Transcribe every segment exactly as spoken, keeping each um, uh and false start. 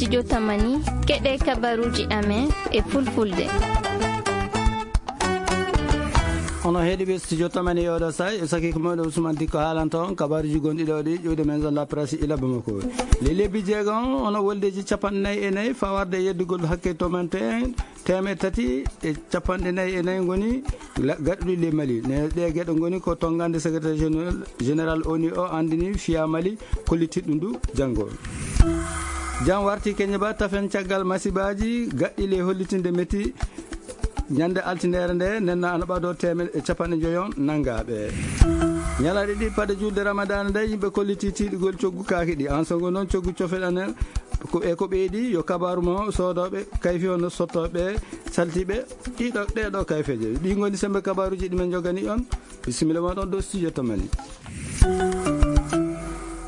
Studio Tamani, keɗe kabaruji amen e fulfulde. Ono heɗiɓe Studio Tamani e oɗo say, e saki ko moɗo Ousmane Dikko haalanta on kabaruji gonɗi ɗo ɗi ƴuwde men zone la presse ila Bamako. Le lebbi jeegom, ono woldeji capanɗe nayi e nayi, fawarde e yeddugol hakke to men te, teemeɗɗe tati e capanɗe nayi e nayi ngoni la-, gaɗuɗi le Mali. Ne ɗe geɗe ngoni ko tongande secrétaire général, général O N U o andini fiya Mali kollitiɗɗum du janngo. Jam warti keñe ba tafen caggal masibaji gaɗɗi le hollitinde metti ñande altinere nde nenna ana ɓado teemeɗɗe e capanɗe joyon nangaaɓe. Ñalaaɗe ɗi paɗe julde Ramadana nde yimɓe kolliti tiiɗugol coggu kaaki ɗi. An songo noon coggu cofel anen ko e ko ɓeydi yo kabaru mo soodooɓe kayfi hono sottooɓe saltiɓe ɗiɗo ɗeɗo kayfeje. Ɗi ngoni sembe kabaruji ɗi men jogani on. Bisimilla moɗon ɗo studio to men.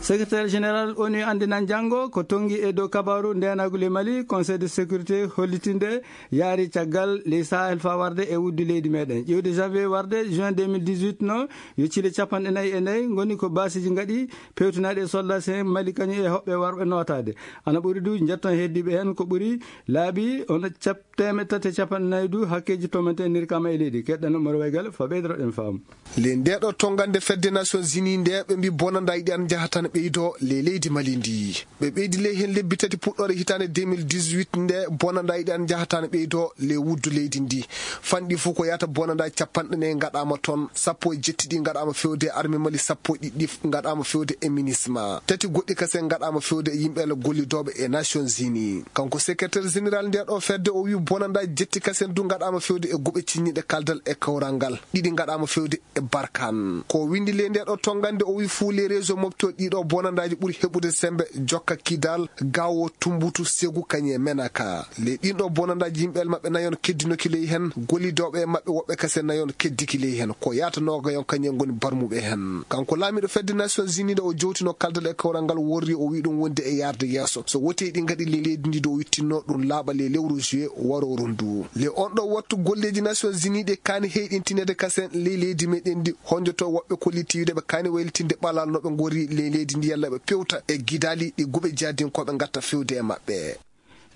Secrétaire général O N U andinan janngo ko tongi e dow kabaru ndenagol e Mali, Conseil de sécurité hollitinde yaari caggal ley Sahel fa warde e wuddu leydi meɗen. Ƴiwde janvier warde juin deux mille dix-huit no yo cile capanɗe nayi e nayi ngoni ko basiji ngaɗi pewtinaɗi e soldat sen Mali kañum e hoɓɓe warɓe notade. Ana ɓuri du jetton heddiɓe hen ko ɓuri laabi on cap-, teemeɗɗe tati e capanɗe nayi du hakkeji tomaten nirkama e leydi. Keɗɗan Umar Waygal fa ɓeydotoɗen faamu. Le nde ɗo tongande fedde Nations Unies nde ɓe mbi bonanda yiɗi an jahatan ɓeydo le leydi Mali ndi. Ɓe ɓeydi ley hen lebbi tati puɗɗore hitande deux mille dix-huit nde bonanda yiɗi an jahatan ɓeydo le wuddu leydi ndi. Fanɗi fof ko yata bonanda capanɗe nayi gaɗama toon, sappo e jetti ɗi gaɗama fewde arme Mali, sappo e ɗiɗi gaɗama fewde e minisma. Tati goɗɗi kasen gaɗama fewde e yimɓe le gollidoɓe e Nations Unies. Kanko secrétaire général nde ɗo fedde o wi bonanda jetti kasen du gaɗama fewde e guɓe cinñiɗe kaldal e kawral ngal. Ɗiɗi gaɗama fewde e Barkan. Ko windi le nde ɗo tongande o wi fuu le réseau mofto ɗiɗo bonandaji ɓuri heɓude sembe jokka Kidal, Gawo, Tumbutu, Segu, kañe Menaka. Le ɗin ɗo bonandaji yimɓe maɓɓe nayon keddinoki ley hen, gollidoɓe maɓɓe woɓɓe kase nayon keddiki ley hen. Ko yata nogayon kañe ngoni barmuɓe hen. Kanko laamiɗo fedde Nations Unies nde o jowtino kaldal e kawral ngal worri o wi ɗum wonde e yarde yeeso. So woti ɗi gaɗi le leydi ndi do o wittinno ɗum laaɓa le lewru juillet waro rundu. Le on ɗo wattu golleji Nations Unies ɗe kaani heyɗintinede kasen ley leydi meɗen ndi honjoto woɓɓe kolliti wiide ɓe kaani waylitinde ɓalal no ɓe ngori ley leydi ndi yalla ɓe pewta e gidali ɗi guɓe jadinkoɓe gatta fewde e maɓɓe.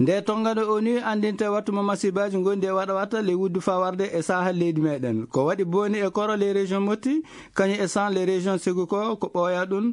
Nde tongano O N U andinte wattu mo masibaji gondi e waɗa watta ley wuddu fa warde e sahal leydi meɗen. Ko waɗi boni e koro ley région Motti, kañum e san ley région Segu ko, ko ɓooya ɗum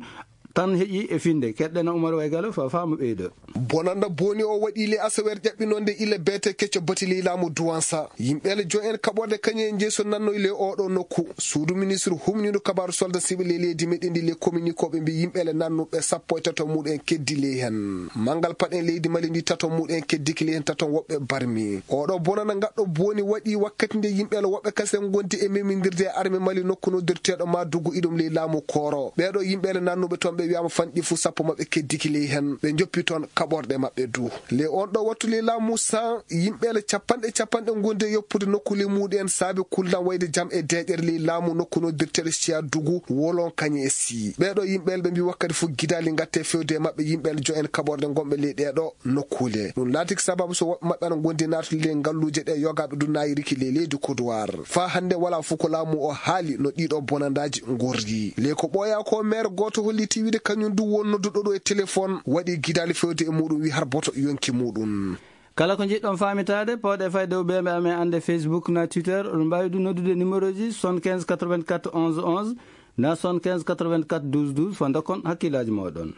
tan heƴi e finde. Keɗɗena Umar Waygalo fa faamu ɓeydo. Bonanda boni o waɗi le asawer ƴaɓɓinonde ila beete kecco bati ley laamu Duwansa. Yimɓe le jo en kaɓorde kañum en jeeso nannoy le oɗo nokku. Suudu ministre humniiɗo kabaaru soldat siɓe ley leydi meɗen ndi le communiqué ɓe mbi yimɓe le nannuɓe sappo e tato muɗum en keddi ley hen. Mangal paɗen leydi Mali ndi tato muɗum en keddiki ley hen tato woɓɓe barmi. Oɗo bonana gaɗɗo boni waɗi wakkati nde yimɓe le woɓɓe kasen gondi e memindirde e arme Mali nokku noddirteɗo ma dugu iɗum ley laamu Koro. Ɓeɗo yimɓe le nannuɓe toon ɓe wiyama fanɗi fu sappo maɓɓe keddiki ley hen. Ɓe joppi toon kaɓorɗe maɓɓe du. Le on ɗo wattu ley laamu san yimɓe le capanɗe capanɗe gondi e yoppude nokku le muɗum en saabe kullan wayde jam e deƴere ley laamu nokku noddirteɗo siya dugu wolon kañe e si. Ɓeɗo yimɓe le ɓe mbi wakkati fu gidali gatte fewde e maɓɓe yimɓe le jo en kaɓorɗe gonɓe ley ɗeɗo nokkule. Ɗum laatiki sababu so woɓɓe maɓɓe ana gondi naatude ley ngalluuje ɗe yogaɓe du nayiriki ley leydi Kodowar. Fa hande wala fu ko laamu o haali no ɗiɗo bonandaji gorri. Ley ko ɓooya ko maire goto holliti wiide kañum du won nodduɗo ɗo e téléphone waɗi gidali fewde e muɗum wi har boto yonki muɗum. Kala ko jiɗɗon faamitaade, pawɗe fayde o ɓeɓe amen annde Facebook na Twitter, oɗon mbaawi ɗum noddude numéro ji soixante-quinze quatre-vingt-quatre onze onze, na soixante-quinze quatre-vingt-quatre douze douze, fo ndokkon hakkillaaji mooɗon.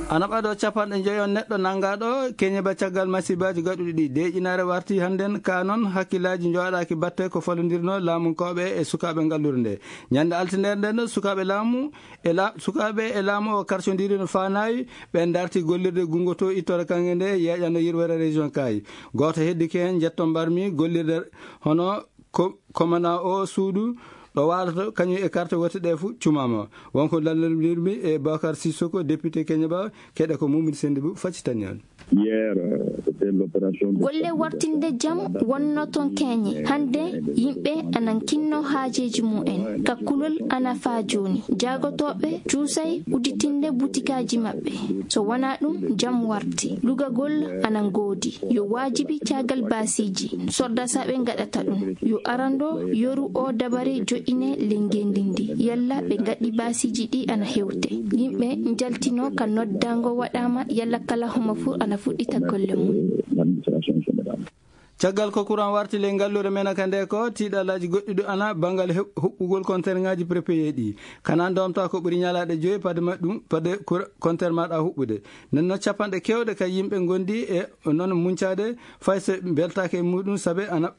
Ana ɓaɗo capanɗe njoyon neɗɗo nanngaaɗo keñe ba caggal masibaaji gaɗuɗi ɗi. Deeƴinaare warti hannden ka noon hakkillaaji njowaɗaaki batte ko falondirno laamunkooɓe e sukaaɓe ngallure nde. Ñande altindere nden ɗo sukaaɓe laamu e la-, sukaaɓe e laamu o karcondiri no faanayi, ɓen darti gollirde gungo to ittore kanŋe nde yeeƴano yirwere région Kayi. Gooto heddike heen, njetto mbarmi gollirde hono ko-, komana o suudu ɗo waaloto kañum e carte wote ɗe fu cumama. Wonko lallondirmi e Bakar Sissoko, député Keñeba, keɗe ko Mamadou Sendibou faccitani on. Hier, euh, c'était l'opération de Golle wartinde jam wonno toon keñe. Hannde yimɓe anan kinno haajeeji mumen. Ka kulol ana faa jooni. Jaagotooɓe cuusay udditinde butikaaji maɓɓe. So wonaa ɗum, jam warti. Lugagol ana ngoodi. Yo waajibi caagal baasiiji. Sordasaaɓe ngaɗata ɗum. Yo arando yoru o dabare joƴƴine ley ngeenndi ndi. Yalla ɓe ngaɗi baasiiji ɗi ana hewte. Yimɓe njaltino ka noddaango waɗaama yalla kala homo fuu ana fuɗɗita golle mum. Caggal ko kuran warti ley ngalluure men ka nde ko tiiɗalaaji goɗɗi ɗo ana banngal he-, huɓɓugol konterŋaaji prépayé ɗi. Kana ndomta ko ɓuri ñalaaɗe joyi pade ma-, ɗum, pade kura-, konter maɗa huɓɓude. Nden no capanɗe kewɗe ka yimɓe ngondi e non muncaade fay so beltaake e muɗum sabe ana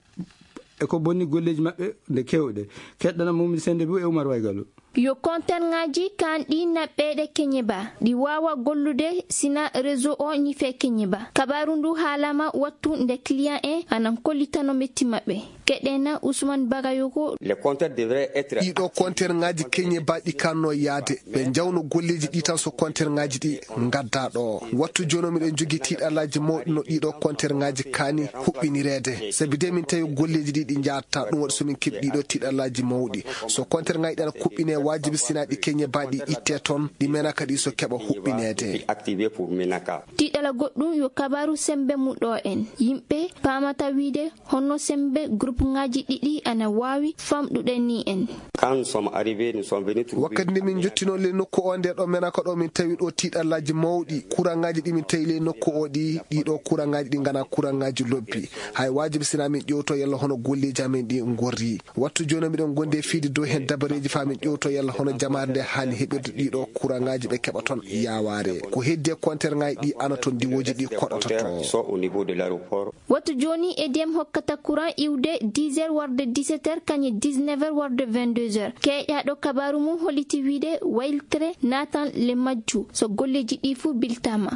e ko bonni golleeji maɓɓe nde kewɗe. Keɗɗana Mumdi Sende bu e Umar Waygalo. Yo konterŋaaji kaan ɗi naɓɓeeɗe keñe ba, ɗi waawa gollude sina réseau o ñife keñe ba. Kabaaru ndu haalama wattu nde client en anan kollitano metti maɓɓe. Keɗena Ousmane Bagayoko. Les compteurs devraient être Ɗiɗo konterŋaaji keñe ba ɗi kanno yaade. Ɓe njawno golleeji ɗi tan so konterŋaaji ɗi ngadda ɗo. Wattu jono miɗen jogi tiiɗalaaji mawɗi no ɗiɗo konterŋaaji kaani huɓɓinireede. Sabi de min tawi golleeji ɗi ɗi njaata ɗum waɗi so min keɓi ɗiɗo tiiɗalaaji mawɗi. So konterŋaaji ɗi ana kuɓɓine waajibi sina ɗi keñe ba ɗi itte toon, ɗi mena kadi so keɓa huɓɓineede. Activé pour Menaka. Tiiɗala goɗɗum yo kabaaru sembe mu ɗo en. Yimɓe paamata wiide honno sembe groupe ŋaaji ɗiɗi ana waawi famɗude ni en. Quand nous sommes arrivés, nous sommes venus trouver Wakkati nde min jottino ley nokku o nde ɗo Menaka ɗo min tawi ɗo tiiɗalaaji mawɗi. Kuraŋaaji ɗi min tawi ley nokku o ɗi, ɗiɗo kuraŋaaji ɗi ngana kuraŋaaji lobbi. Hay waajibi sina min ƴewto yalla hono golleeji amen ɗi ngorri. Wattu jooni miɗen gondi e fiidi dow heen dabareeji faa min ƴewto yalla hono jamaare nde haani heɓirde ɗiɗo kuraŋaaji ɓe keɓa toon yaawaare. Ko heddi e konterŋaaji ɗi ana toon diwooji ɗi koɗata to. Sont au niveau de l'aéroport. Wattu jooni E D M hokkata courant iwde dix heures warde dix-sept heures, kañe dix-neuf heures warde vingt-deux heures. Keeƴaaɗo kabaaru mum holliti wiide wayltere naatan le majju so golleeji ɗi fuu biltaama.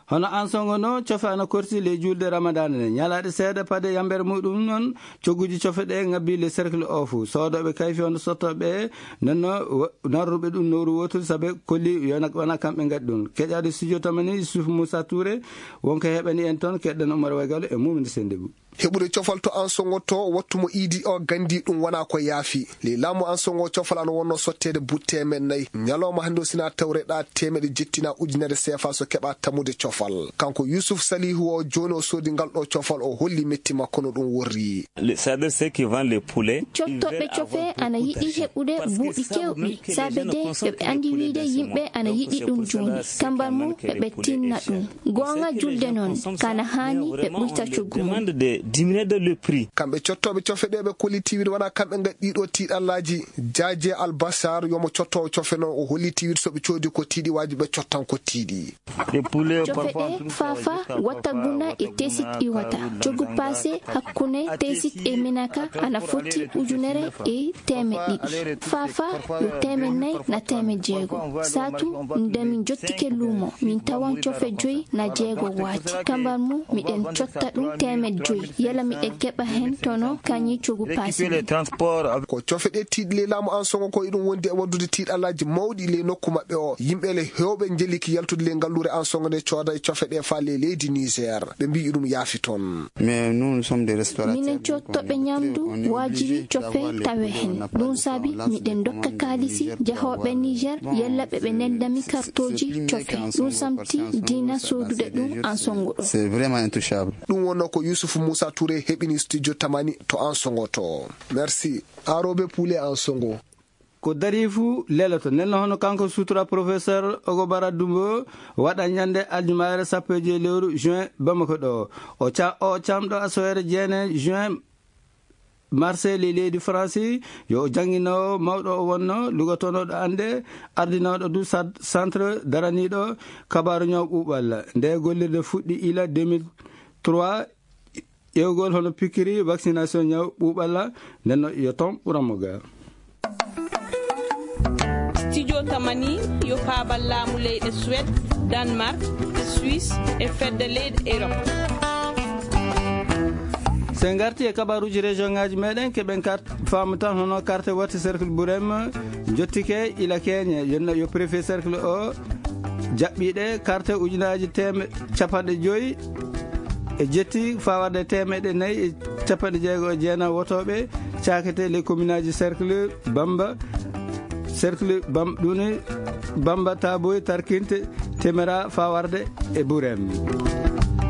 Hono Ansongo no cofe ana korsi ley julde Ramadaan nde. Ñalaaɗe seeɗa pade yambere muɗum noon, cogguji cofe ɗe ngabbi le cercle o fuu. Soodooɓe kayfi hono sottooɓe ɓe, nden no wa-, narruɓe ɗum nowru wootude sabe kolli yo na-, wona kamɓe ngaɗi ɗum. Keƴaade studio tamani Yusuf Moussa Touré, wonko heɓani en toon, keɗɗen Umar Waygalo e Mumini Sendebou. Heɓude cofal to Ansongo to wattu mo iidi o gandi ɗum wona ko yaafi. Ley laamu Ansongo cofal ana wonno sotteede butte men nayi. Ñalawma hannde o sina tawreɗa teemeɗe jettina ujunere seefa so keɓa tammude cofal. Kanko Yusuf Salihu o jooni o soodi ngal ɗo cofal o holli metti makko no ɗum worri. Le, c'est-à-dire ceux qui vendent les poulets, ils Cottoɓe veulent cofe avoir ana beaucoup yiɗi d'argent. Heɓude Parce que buuɗi si ça vous kewɗi, met que les sabe gens ne de consomment eɓe andi plus, wiide les yimɓe Ansongo, ana donc yiɗi c'est un ɗum problème jooni. Pour les Kambal mum, prix eɓe est tinna très cher. Goonga julde noon, kana haani ɓe ɓuyta coggu mum. Demande de diminuer de le prix. Kamɓe cottoɓe cofe ɗe ɓe kolliti wiide wona kamɓe ngaɗi ɗiɗo tiiɗallaaji. Jaaje Albasar yomo cottowo cofe noon o holliti wiide so ɓe coodi ko tiiɗi waaji ɓe cottan ko tiiɗi. Cofe ɗe faafa wattaguna e tesit iwata. Coggu paase hakkunde tesit e minaka ana foti ujunere e teemeɗɗe ɗiɗi. Faafa yo teemeɗɗe nayi na teemeɗɗe jeego. Saatu nde min jottike luumo, min tawan cofe joyi na jeego waati. Kambal mum, miɗen cotta ɗum teemeɗɗe joyi. Yala miɗen keɓa heen tono kañi coggu paasi. Ko cofe ɗe tiiɗi ley laamu Ansongo ko iɗum wondi e waddude tiiɗalaaji mawɗi ley nokku maɓɓe o. Yimɓe le heewɓe njeliki yaltude ley ngalluure Ansongo nde cooda e cofe ɗe faa ley leydi Niger. Ɓe mbiyi ɗum yaafi toon. Mais nous, nous sommes des restaurateurs. Minen coottoɓe ñamdu waajibi cofe tawe heen. Ɗum saabi miɗen ndokka kaalisi jahooɓe Niger yalla ɓe ɓe neldami kartooji cofe. Ɗum samti diina soodude ɗum Ansongo ɗo. C'est vraiment intouchable. Ɗum wonno ko Youssouf Moussa Touré heɓini studio Tamani to Ansongo to. Merci. Aroɓe Poulé Ansongo. Ko darii fuu leloto. Nden no hono kanko sutura professeur Ogobara Dumbo waɗa ñande aljumaare sappo e joy lewru juin Bamako ɗo. O ca-, o camɗo asoyere jeene juin Marseille ley leydi France, yo o jannginoowo mawɗo o wonno, lugotonooɗo annde, ardinooɗo du sad-, centre daraniiɗo kabaaru ñaw ɓuuɓal. Nde gollirde fuɗɗi ila deux mille trois, ƴeewgol hono pikiiri vaccination ñaw ɓuuɓal, nden no yo toon ɓuran mo ga. Studio Tamani yo paabal laamu leyɗe Suède, Danemark, Suisse e fedde leyɗe Europe. So en ngarti e kabaaruuji région ŋaaji meɗen, keɓen kart-, faamu tan hono karte watti cercle Bourem, jottike ila keñe, yo, yo préfet cercle o, jaɓɓiiɗe carte ujunaaji teemeɗɗe capanɗe joyi e jetti faa warde teemeɗɗe nayi e capanɗe jeego e jeenayi wotooɓe caakete les communaaji cercle Bamba, cercle Bam-, ɗum ni Bamba Taboy Tarkinte Temera faa warde e Burem.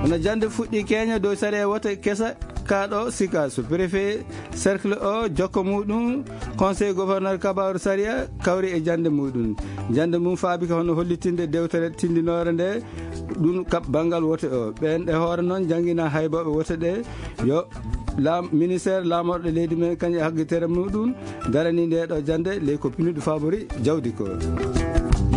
Hono jannde fuɗɗi keña dow sariya wote kesa kaaɗo Sikaso. Préfet cercle o jokko muɗum conseil gouverneur kabaru sariya kawri e jannde muɗum. Jannde mum faabi ko hono hollitinde dewtere tindinoore nde ɗum kaɓ banngal wote o. Ɓeen e hoore noon janngina haybooɓe wote ɗe yo laam-, ministère laamorɗo leydi men kañum e haggitere muɗum darani nde ɗo jannde ley ko pinuɗo fabori jawdi ko.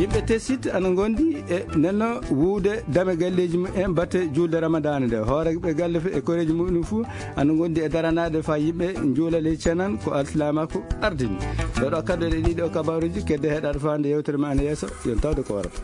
Yimɓe tesit ana ngondi e nenno wuude dame galleeji mum en batte julde Ramadaan nde. Hooreeɓe galle e koreeji muɗum fuu ana ngondi e daranaade faa yimɓe njuula ley cenan ko alsilaamaaku ardini. Ɗo ɗo kaddoɗe ɗiɗo kabaruuji kedde heɗaade faa nde yewtere ma ana yeeso, yon tawde ko warata.